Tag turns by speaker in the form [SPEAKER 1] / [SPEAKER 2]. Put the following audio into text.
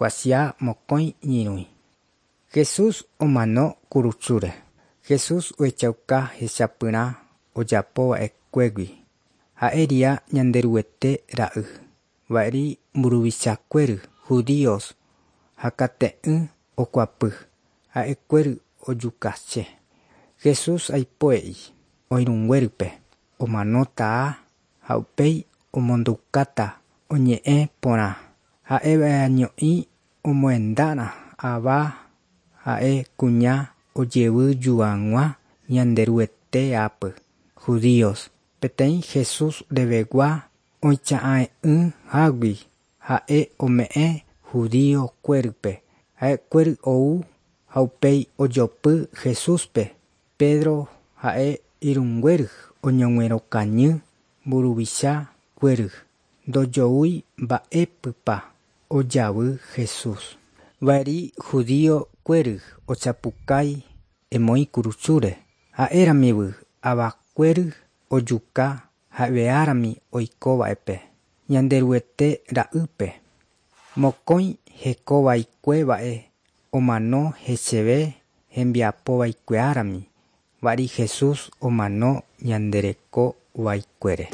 [SPEAKER 1] Kuatia mokõi ñyrũi. Jesús omano kurusúre. Jesús ohechauka hechapyrã ojapova'ekuégui. Ha'éria Ñanderuete ra'y. Va'eri mburuvichakuéry judíos hakate'ỹ okuapy. Ha'ekuéry ojukase. Jesús aipoe'i oirũnguérype omanóta ha upéi omondoukáta oñe'ẽ porã. Ha'eva'año'i omohendára ava ha'e kuña ojevyjuag̃ua Ñanderueteápy. Judíos peteĩ Jesús revegua oicha'ãe'ỹhágui ha'e ome'ẽ judío-kuérype. Ha'ekuéry ou ha upéi ojopy Jesúspe. Pedro ha'e irũnguéry oñoguerokañy mburuvichakuéry. Ndojoúi mba'épypa ojavy Jesús. Va'eri judío-kuéry ochapukái emoĩ kurusúre. Ha'éramivy avakuéry ojuka ha'eveárami oikova'epe. Ñanderuete ra'ýpe. Mokõi hekovaikuéva'e omano heseve hembiapovaikueárami. Va'eri Jesús omano ñandereko vaikuére.